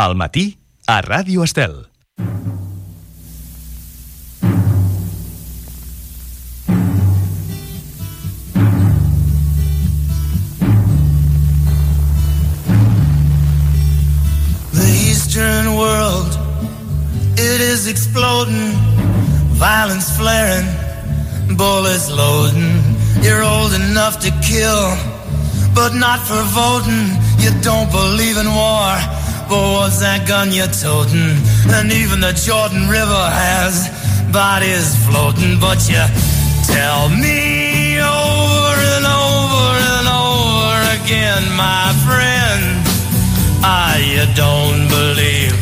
Al matí, a Ràdio Estel. The Eastern world, it is exploding, violence flaring, bullets loading. You're old enough to kill, but not for voting. You don't believe in war, but what's that gun you're toting? And even the Jordan River has bodies floating. But you tell me over and over and over again, my friend, you don't believe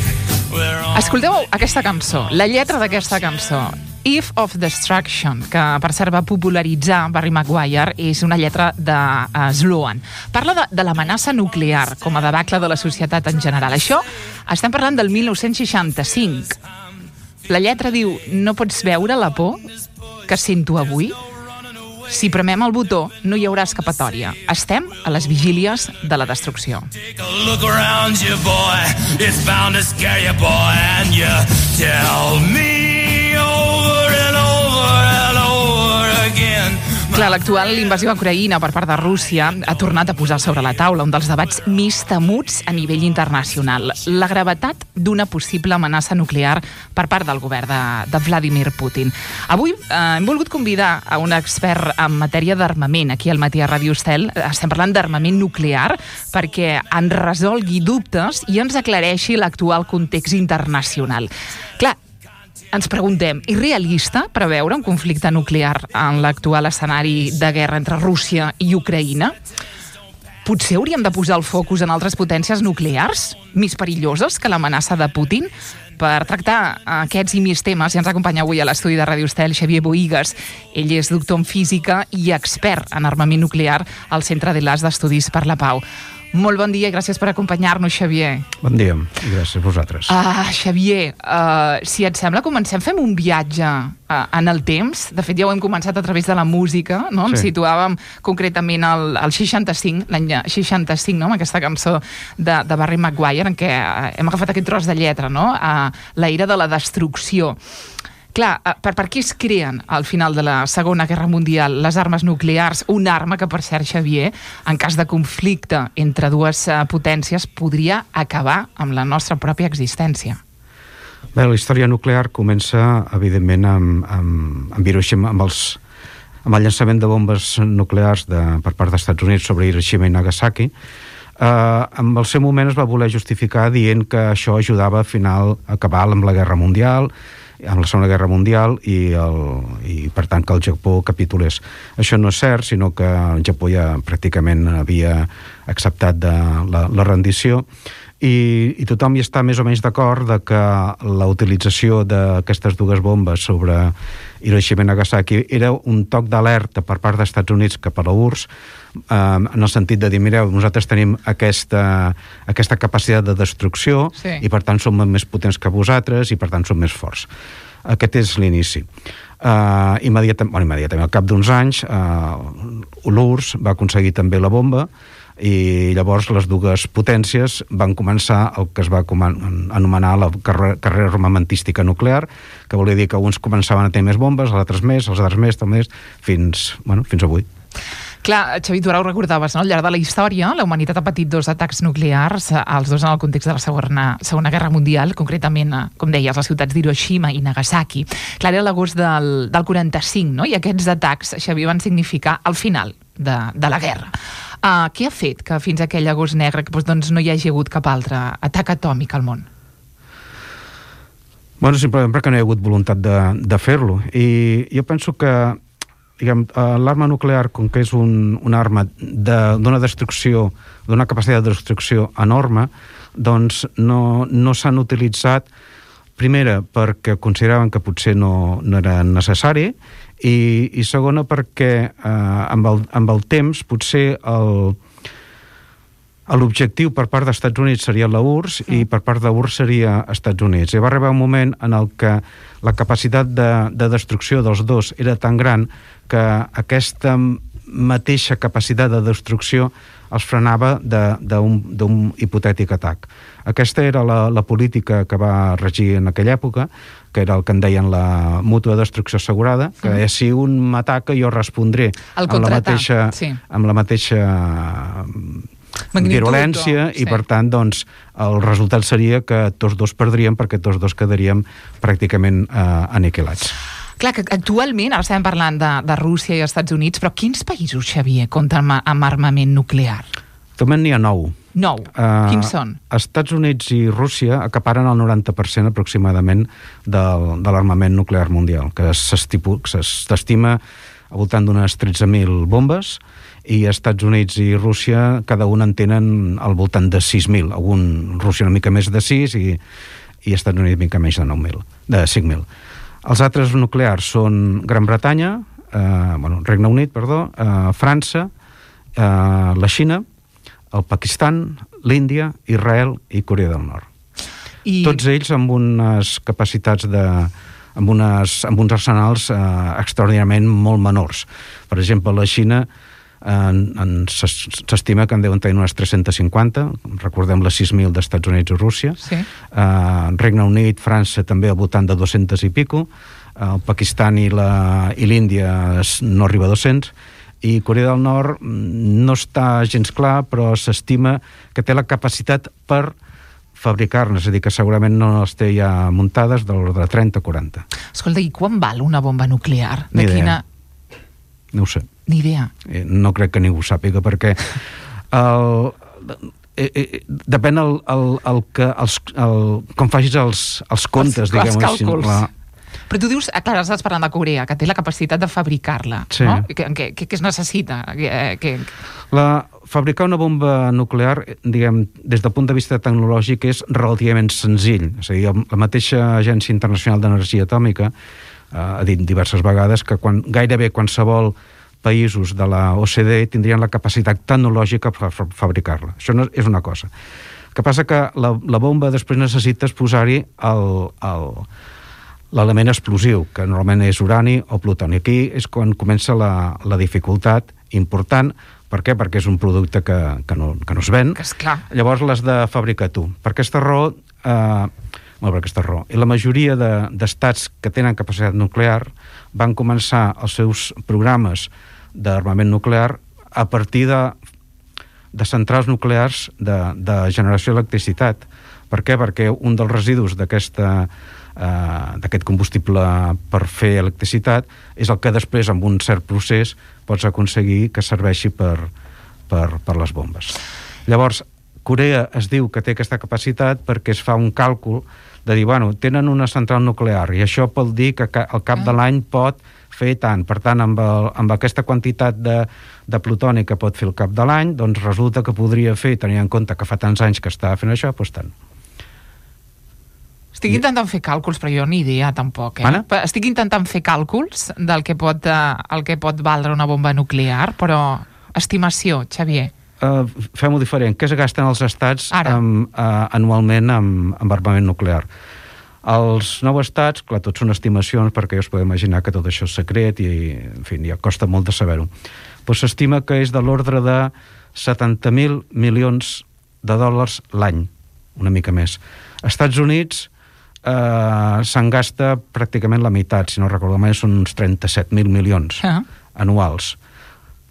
we're on... Escolteu aquesta cançó, la lletra d'aquesta cançó, Eve of Destruction, que per cert va popularitzar Barry Maguire, és una lletra de Sloan. Parla de l'amenaça nuclear com a debacle de la societat en general. Això estem parlant del 1965. La lletra diu: no pots veure la por que sento avui? Si premem el botó, no hi haurà escapatòria. Estem a les vigílies de la destrucció. Take a look around you, boy. It's bound to scare you, boy. And you tell me over and over and over again. Clar, l'actual invasió a Ucraïna per part de Rússia ha tornat a posar sobre la taula un dels debats més temuts a nivell internacional. La gravetat d'una possible amenaça nuclear per part del govern de Vladimir Putin. Avui hem volgut convidar a un expert en matèria d'armament aquí al matí a Ràdio Estel. Estem parlant d'armament nuclear perquè ens resolgui dubtes i ens aclareixi l'actual context internacional. Clar, ens preguntem, és realista preveure un conflicte nuclear en l'actual escenari de guerra entre Rússia i Ucraïna? Potser hauríem de posar el focus en altres potències nuclears més perilloses que l'amenaça de Putin? Per tractar aquests i més temes, ja ens acompanya avui a l'estudi de Ràdio Estel Xavier Boïgues. Ell és doctor en física i expert en armament nuclear al Centre de l'As d'Estudis per la Pau. Molt bon dia i gràcies per acompanyar-nos, Xavier. Bon dia i gràcies a vosaltres. Xavier, si et sembla, fem un viatge en el temps. De fet, ja ho hem començat a través de la música, no? Sí. Ens situàvem concretament al 65, l'any 65, no? Amb aquesta cançó de Barry Maguire, en què hem agafat aquest tros de lletra, no? La ira de la destrucció. Clar, per què es creen al final de la Segona Guerra Mundial les armes nuclears? Una arma que, per cert, Xavier, en cas de conflicte entre dues potències, podria acabar amb la nostra pròpia existència. Bé, la història nuclear comença, evidentment, amb Hiroshima, amb el llançament de bombes nuclears per part dels Estats Units sobre Hiroshima i Nagasaki. En el seu moment es va voler justificar dient que això ajudava a acabar amb la Guerra Mundial, amb la Segona Guerra Mundial i per tant que el Japó capitulés. Això no és cert, sinó que el Japó ja pràcticament havia acceptat la rendició i tothom hi està més o menys d'acord de que la utilització d'aquestes dues bombes sobre Hiroshima i Nagasaki era un toc d'alerta per part dels Estats Units cap a la URSS, en el sentit de dir, mireu, nosaltres tenim aquesta capacitat de destrucció, sí, i per tant som més potents que vosaltres i per tant som més forts. Aquest és l'inici. Immediatament, al cap d'uns anys, l'URSS va aconseguir també la bomba i llavors les dues potències van començar el que es va anomenar la carrera armamentística nuclear, que volia dir que uns començaven a tenir més bombes, els altres més, fins avui. Clar, Xavi, tu ara ho recordaves, no? Al llarg de la història, la humanitat ha patit 2 atacs nuclears, els 2 en el context de la Segona Guerra Mundial, concretament, com deies, les ciutats d'Hiroshima i Nagasaki. Clar, era l'agost del 45, no? I aquests atacs, Xavi, van significar el final de la guerra. Què ha fet que fins a aquell agost negre doncs, no hi hagi hagut cap altre atac atòmic al món? Bueno, simplement perquè no hi ha hagut voluntat de fer-lo. I jo penso que l'arma nuclear, com que és una arma d'una destrucció, d'una capacitat de destrucció enorme, doncs no s'han utilitzat, primera, perquè consideraven que potser no era necessari, i segona, perquè amb el temps potser l'objectiu per part dels Estats Units seria la URSS i per part de URSS seria Estats Units. I va arribar un moment en el que la capacitat de destrucció dels dos era tan gran que aquesta mateixa capacitat de destrucció els frenava d'un hipotètic atac. Aquesta era la política que va regir en aquella època, que era el que en deien la mútua destrucció assegurada, que si un m'ataca jo respondré amb la mateixa virulència, i per tant doncs, el resultat seria que tots dos perdríem, perquè tots dos quedaríem pràcticament aniquilats. Clar, que actualment, ara estem parlant de Rússia i Estats Units, però quins països, Xavier, compten amb armament nuclear? Actualment n'hi ha 9. 9. Quins són? Estats Units i Rússia acaparen el 90% aproximadament de l'armament nuclear mundial, que s'estima al voltant d'unes 13.000 bombes, i Estats Units i Rússia cada un en tenen al voltant de 6.000. Rússia una mica més de 6 i Estats Units una mica més de 5.000. Els altres nuclears són Gran Bretanya, Regne Unit, França, la Xina, el Pakistan, l'Índia, Israel i Corea del Nord. Tots ells amb unes capacitats amb uns arsenals extraordinàriament molt menors. Per exemple, la Xina s'estima que en deuen tenir unes 350, recordem les 6.000 d'Estats Units i Rússia. Regne Unit, França també al voltant de 200 i pico, el Pakistan i l'Índia no arriba a 200, i Corea del Nord no està gens clar, però s'estima que té la capacitat per fabricar-ne, és a dir, que segurament no les té ja muntades, de l'ordre de 30 o 40. Escolta, i quan val una bomba nuclear? Ni idea. No ho sé. Ni idea. No crec que ningú sàpiga, perquè depèn com facis els comptes, diguem-ho així. Els càlculs. Però tu dius, clar, estàs parlant de Corea, que té la capacitat de fabricar-la, no? Què es necessita? Fabricar una bomba nuclear, diguem, des del punt de vista tecnològic, és relativament senzill. És a dir, la mateixa Agència Internacional d'Energia Atòmica ha dit diverses vegades que gairebé qualsevol països de la OCDE tindrien la capacitat tecnològica per fabricar-la. Això és una cosa. El que passa que la bomba després necessites posar-hi l'element explosiu, que normalment és urani o plutoni. Aquí és quan comença la dificultat important. Per què? Perquè és un producte que no es ven. Llavors l'has de fabricar tu. Per aquesta raó, i la majoria d'estats que tenen capacitat nuclear van començar els seus programes d'armament nuclear a partir de centrals nuclears de generació d'electricitat. Per què? Perquè un dels residus d'aquest combustible per fer electricitat és el que després, amb un cert procés, pots aconseguir que serveixi per les bombes. Llavors, Corea es diu que té aquesta capacitat perquè es fa un càlcul de dir, tenen una central nuclear i això pot dir que al cap de l'any pot fer tant. Per tant, amb aquesta quantitat de plutoni que pot fer al cap de l'any, doncs resulta que podria fer, tenint en compte que fa tants anys que està fent això, doncs tant. Estic intentant fer càlculs, però jo ni idea tampoc. Estic intentant fer càlculs del que pot valdre una bomba nuclear, però estimació, Xavier. Fem-ho diferent. Què es gasten els estats anualment amb armament nuclear? Els 9 estats, clar, tots són estimacions, perquè us podeu imaginar que tot això és secret i, en fi, ja costa molt de saber-ho. Però s'estima que és de l'ordre de 70.000 milions de dòlars l'any, una mica més. Als Estats Units se'n gasta pràcticament la meitat, si no recordo mai, són uns 37.000 milions anuals.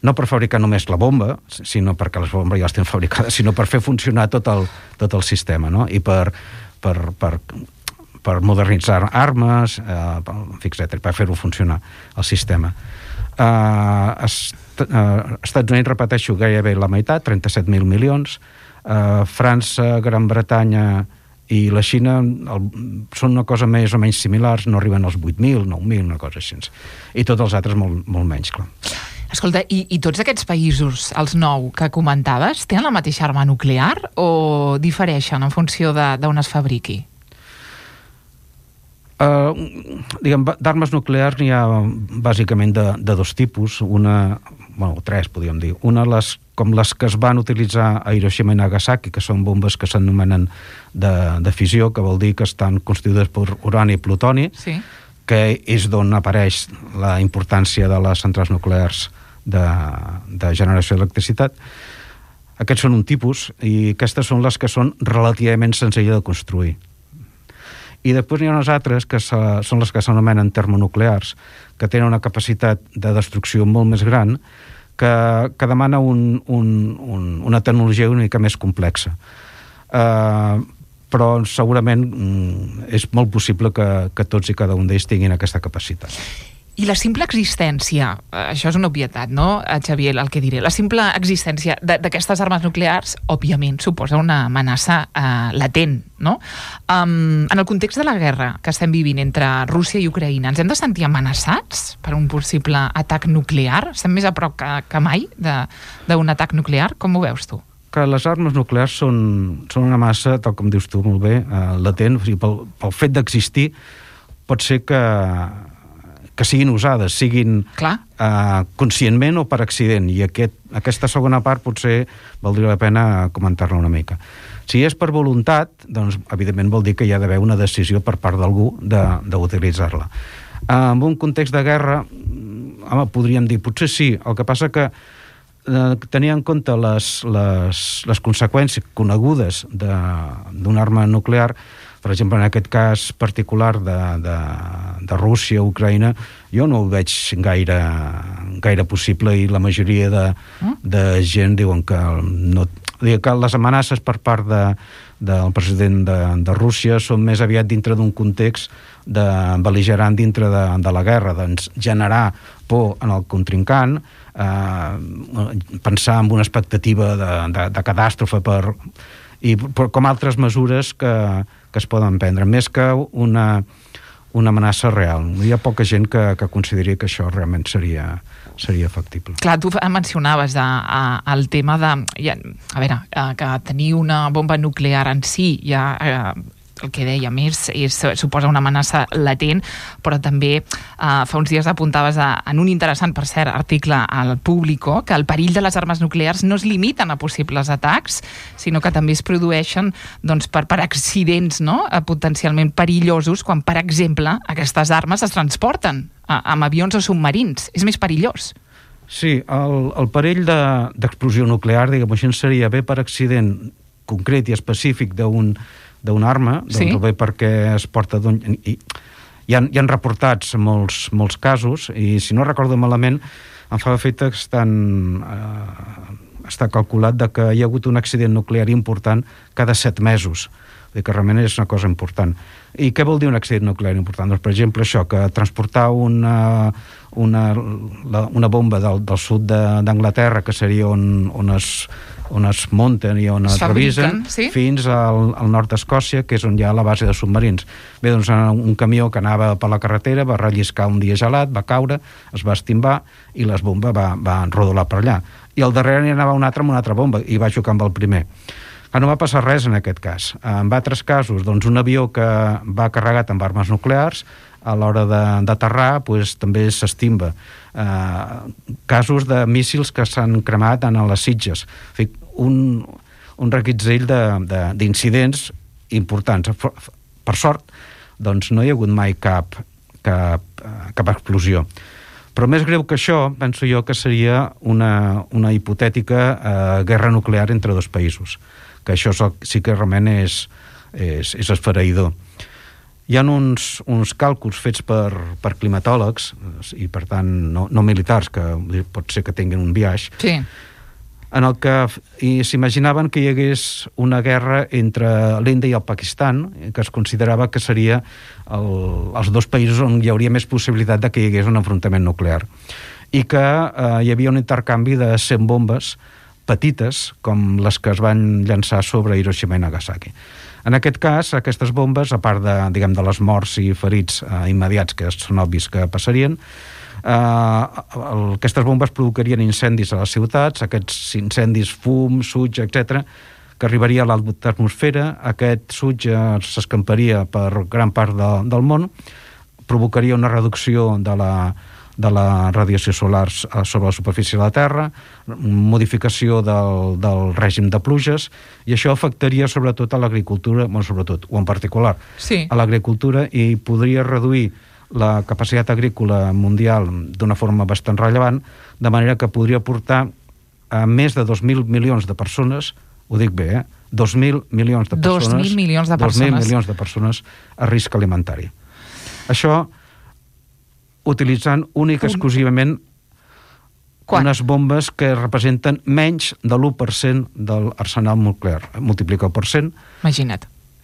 No per fabricar només la bomba, sinó perquè les bombes ja les tenen fabricades, sinó per fer funcionar tot el sistema, no? I per modernitzar armes, etc., per fer-ho funcionar, el sistema. Estats Units, repeteixo, gairebé la meitat, 37.000 milions. França, Gran Bretanya i la Xina són una cosa més o menys similars, no arriben als 8.000, 9.000, una cosa així. I tots els altres molt menys, clar. Escolta, i tots aquests països, els 9 que comentaves, tenen la mateixa arma nuclear o difereixen en funció d'on es fabriqui? D'armes nuclears n'hi ha bàsicament de dos tipus, tres podríem dir. Una, com les que es van utilitzar a Hiroshima i Nagasaki, que són bombes que s'anomenen de fissió, que vol dir que estan constituïdes per urani i plutoni, que és d'on apareix la importància de les centrals nuclears de generació d'electricitat. Aquests són un tipus, i aquestes són les que són relativament senzilles de construir. I després n'hi ha unes altres, que són les que s'anomenen termonuclears, que tenen una capacitat de destrucció molt més gran, que demana una tecnologia una mica més complexa. Però segurament és molt possible que tots i cada un d'ells tinguin aquesta capacitat. I la simple existència, això és una obvietat, no, Xavier, el que diré, la simple existència d'aquestes armes nuclears, òbviament, suposa una amenaça latent, no? En el context de la guerra que estem vivint entre Rússia i Ucraïna, ens hem de sentir amenaçats per un possible atac nuclear? Estem més a prop que mai d'un atac nuclear? Com ho veus tu? Que les armes nuclears són una massa, tal com dius tu molt bé, latent. O sigui, pel fet d'existir pot ser que siguin usades, siguin conscientment o per accident, i aquesta segona part potser valdria la pena comentar-la una mica. Si és per voluntat, doncs evidentment vol dir que hi ha d'haver una decisió per part d'algú d'utilitzar-la. En un context de guerra, podríem dir, potser sí, el que passa que tenir en compte les conseqüències conegudes d'una arma nuclear, per exemple, en aquest cas particular de Rússia, Ucraïna, jo no ho veig gaire possible, i la majoria de gent diuen que les amenaces per part del president de Rússia són més aviat dintre d'un context bel·ligerant dintre de la guerra, doncs generar por en el contrincant, pensar en una expectativa de catàstrofe com altres mesures que es poden prendre, més que una amenaça real. Hi ha poca gent que consideri que això realment seria factible. Clar, tu mencionaves el tema que tenir una bomba nuclear en si ja el que dèiem suposa una amenaça latent, però també fa uns dies apuntaves en un interessant, per cert, article al Público, que el perill de les armes nuclears no es limiten a possibles atacs, sinó que també es produeixen per accidents, no?, potencialment perillosos, quan, per exemple, aquestes armes es transporten amb avions o submarins. És més perillós. Sí, el perill d'explosió nuclear, diguem-ho així, seria bé per accident concret i específic d'una arma, doncs bé perquè es porta hi han reportats molts casos, i si no recordo malament em fa efecte que està calculat que hi ha hagut un accident nuclear important cada 7 mesos, que realment és una cosa important. I què vol dir un accident nuclear important? Doncs, per exemple, això, que transportar una bomba del sud d'Anglaterra, que seria on es munten i on es revisen, fins al nord d'Escòcia, que és on hi ha la base de submarins. Bé, doncs un camió que anava per la carretera va relliscar un dia gelat, va caure, es va estimbar i les bombes va rodolar per allà. I al darrere n'hi anava un altre amb una altra bomba i va xocar amb el primer. No va passar res en aquest cas. En altres casos, doncs un avió que va carregat amb armes nuclears, a l'hora d'aterrar, també s'estimba. Casos de míssils que s'han cremat en les Sitges. Un reguitzell d'incidents importants. Per sort, doncs no hi ha hagut mai cap explosió. Però més greu que això, penso jo, que seria una hipotètica guerra nuclear entre dos països, que això sí que realment és esfereïdor. Hi ha uns càlculs fets per climatòlegs, i per tant no militars, que pot ser que tinguin un biaix, en el que s'imaginaven que hi hagués una guerra entre l'Índia i el Pakistan, que es considerava que seria els dos països on hi hauria més possibilitat de que hi hagués un enfrontament nuclear, i que hi havia un intercanvi de 100 bombes petites, com les que es van llançar sobre Hiroshima i Nagasaki. En aquest cas, aquestes bombes, a part de les morts i ferits immediats, que són obvis que passarien, aquestes bombes provocarien incendis a les ciutats, aquests incendis, fum, suig, etc., que arribaria a l'atmosfera, aquest suig s'escamparia per gran part del món, provocaria una reducció de la radiació solar sobre la superfície de la Terra, modificació del règim de pluges, i això afectaria sobretot a l'agricultura, o en particular a l'agricultura, i podria reduir la capacitat agrícola mundial d'una forma bastant rellevant, de manera que podria portar a més de 2.000 milions de persones, ho dic bé, 2.000 milions de persones, 2.000 milions de persones. 2.000 milions de persones a risc alimentari. Això utilitzant únic exclusivament unes bombes que representen menys de l'1% de l'arsenal nuclear. Multiplica per 100.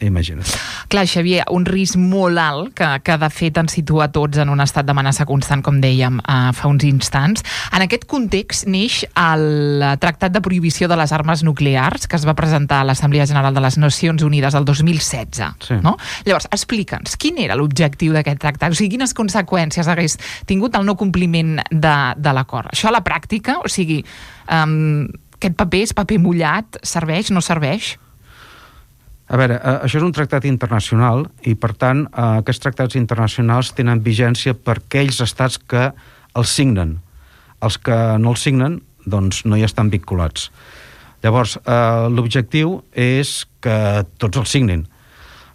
Imagina't. Clar, Xavier, un risc molt alt que de fet ens situa tots en un estat d'amenaça constant, com dèiem fa uns instants. En aquest context neix el Tractat de Prohibició de les Armes Nuclears, que es va presentar a l'Assemblea General de les Nacions Unides el 2016. Sí. No? Llavors, explica'ns, quin era l'objectiu d'aquest tractat? O sigui, quines conseqüències hagués tingut el no compliment de l'acord? Això a la pràctica, o sigui, aquest paper és paper mullat, serveix, no serveix? A veure, això és un tractat internacional i, per tant, aquests tractats internacionals tenen vigència per aquells estats que els signen. Els que no els signen, doncs, no hi estan vinculats. Llavors, l'objectiu és que tots els signin.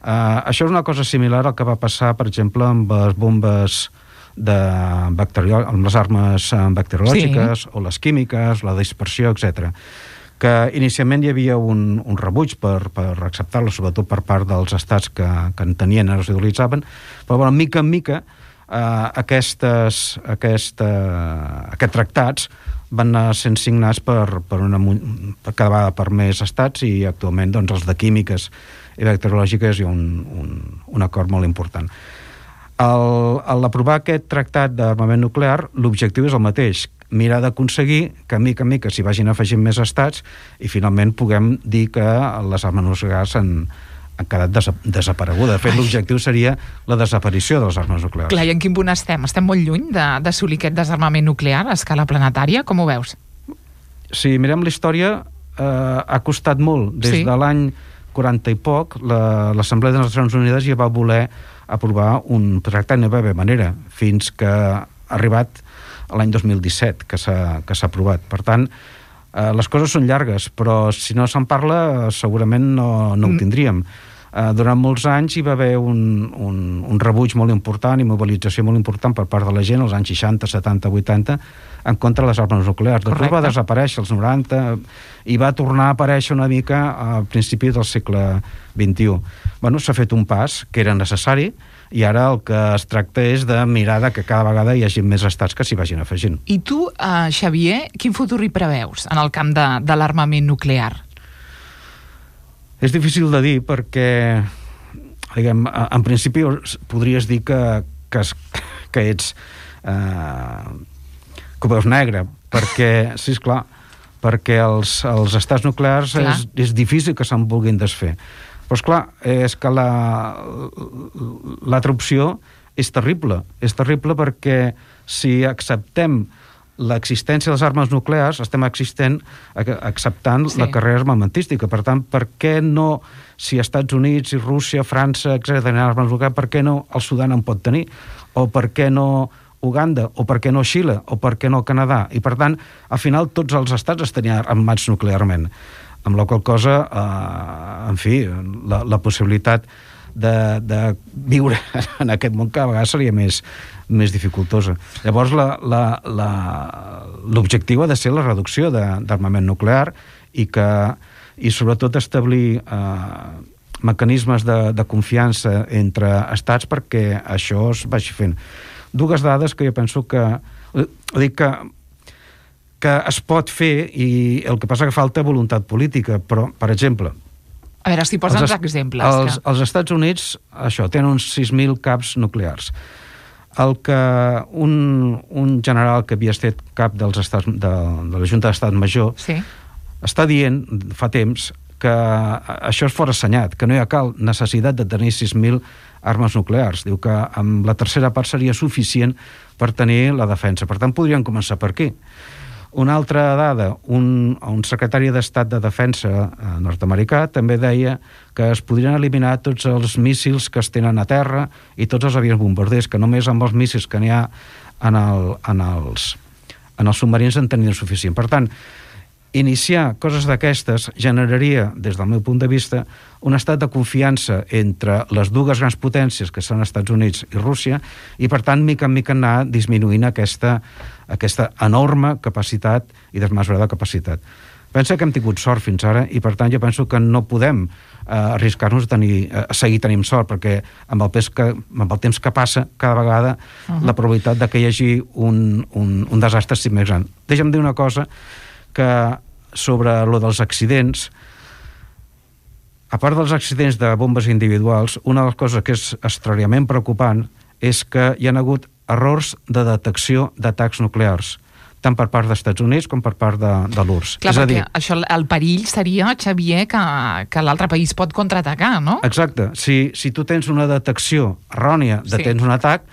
Això és una cosa similar al que va passar, per exemple, amb les bombes amb les armes bacteriològiques, sí, o les químiques, la dispersió, etc., que inicialment hi havia un rebuig per acceptar-lo, sobretot per part dels estats que en tenien i els utilitzaven, però bueno, mica en mica aquests tractats van anar sent signats per cada vegada per més estats, i actualment doncs, els de químiques i bacteriològiques hi ha un acord molt important. Al aprovar aquest tractat d'armament nuclear, l'objectiu és el mateix, mirar d'aconseguir que mica en mica s'hi vagin afegint més estats i finalment puguem dir que les armes nuclears han quedat desaparegudes. De fet, l'objectiu seria la desaparició de les armes nuclears. Clar, i en quin punt estem? Estem molt lluny d'assolir aquest desarmament nuclear a escala planetària? Com ho veus? Si mirem la història, ha costat molt. Des de l'any 40 i poc, l'Assemblea de les Nacions Unides ja va voler aprovar un tractat, no va haver manera, fins que ha arribat l'any 2017, que s'ha aprovat. Per tant, les coses són llargues, però si no se'n parla, segurament no ho tindríem. Durant molts anys hi va haver un rebuig molt important i mobilització molt important per part de la gent, als anys 60, 70, 80, en contra de les armes nuclears. Després va desaparèixer als 90 i va tornar a aparèixer una mica a principis del segle XXI. Bueno, s'ha fet un pas que era necessari, i ara el que es tracta és de mirar que cada vegada hi hagi més estats que s'hi vagin afegint. I tu, Xavier, quin futur hi preveus en el camp de l'armament nuclear? És difícil de dir perquè, diguem, en principi podries dir que ets que ho veus negre, perquè, sí, esclar, perquè els estats nuclears és difícil que se'n vulguin desfer. Però, esclar, és que l'altra opció és terrible. És terrible perquè si acceptem l'existència de les armes nuclears, estem acceptant la carrera armamentística. Per tant, per què no, si Estats Units i Rússia, França, etc., tenen armes nuclears, per què no el Sudan en pot tenir? O per què no Uganda? O per què no Xile? O per què no Canadà? I, per tant, al final, tots els estats estan armats nuclearment. Amb la qual cosa, en fi, la possibilitat de viure en aquest món cada vegada seria més dificultosa. Llavors, l'objectiu ha de ser la reducció d'armament nuclear i sobretot establir mecanismes de confiança entre estats perquè això es vagi fent. Dues dades que jo penso que es pot fer, i el que passa que falta voluntat política, però, per exemple... A veure, si posa'ns exemples. Els Estats Units, això, tenen uns 6.000 caps nuclears. Un general que havia estat cap de la Junta d'Estat Major està dient, fa temps, que això és forassenyat, que no hi ha cal necessitat de tenir 6.000 armes nuclears. Diu que amb la tercera part seria suficient per tenir la defensa. Per tant, podrien començar per aquí. Una altra dada, un secretari d'Estat de Defensa nord-americà també deia que es podrien eliminar tots els míssils que es tenen a terra i tots els avions bombarders, que només amb els míssils que n'hi ha en els submarins en tenien suficient. Per tant, iniciar coses d'aquestes generaria, des del meu punt de vista, un estat de confiança entre les dues grans potències que són Estats Units i Rússia, i per tant, mica en mica anar disminuint aquesta enorme capacitat i desmesurada capacitat. Pensa que hem tingut sort fins ara i per tant jo penso que no podem arriscar-nos a seguir tenint sort, perquè amb el temps que passa cada vegada la probabilitat de que hi hagi un desastre sigui més gran. Deixa'm dir una cosa, que sobre lo dels accidents, a part dels accidents de bombes individuals, una de les coses que és extraordinàriament preocupant és que hi ha hagut errors de detecció d'atacs nuclears, tant per part dels Estats Units com per part de l'URSS. Clar, perquè això, el perill seria, Xavier, que l'altre país pot contraatacar, no? Exacte. Si tu tens una detecció errònia de tens un atac,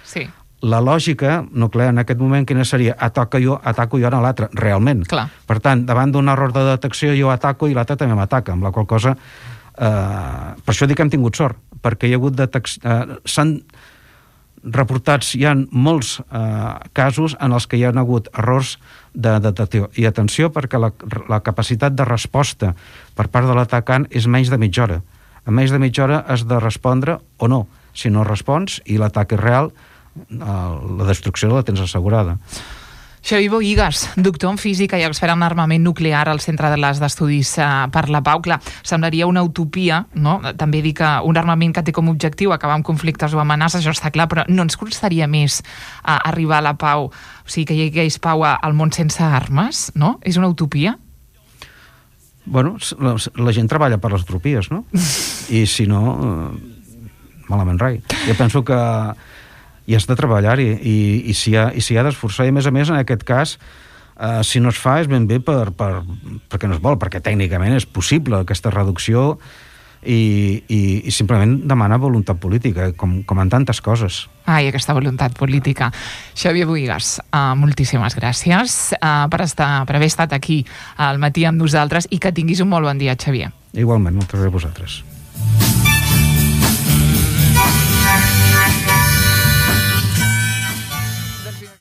la lògica nuclear en aquest moment quina seria? Ataco jo a l'altre, realment. Clar. Per tant, davant d'un error de detecció jo ataco i l'altre també m'ataca, amb la qual cosa per això dic que hem tingut sort, perquè hi ha hagut s'han reportats, hi ha molts casos en els que hi ha hagut errors de detecció. I atenció, perquè la capacitat de resposta per part de l'atacant és menys de mitja hora. En menys de mitja hora has de respondre o no. Si no respons i l'atac és real, la destrucció la tens assegurada. Xavier Bohigas, doctor en física i expert en armament nuclear al Centre d'Estudis per la Pau. Clar, semblaria una utopia, no? També dir que un armament que té com a objectiu acabar amb conflictes o amenaces, això està clar, però no ens costaria més arribar a la pau, o sigui, que hi hagués pau al món sense armes, no? És una utopia? Bueno, la gent treballa per les utopies, no? I si no, malament rai. Jo penso que i has de treballar-hi i s'hi ha d'esforçar, i a més, en aquest cas, si no es fa és ben bé perquè no es vol, perquè tècnicament és possible aquesta reducció i simplement demana voluntat política, com en tantes coses. Ai, aquesta voluntat política. Xavier Bohigas, moltíssimes gràcies per haver estat aquí al matí amb nosaltres i que tinguis un molt bon dia, Xavier. Igualment, moltes gràcies a vosaltres.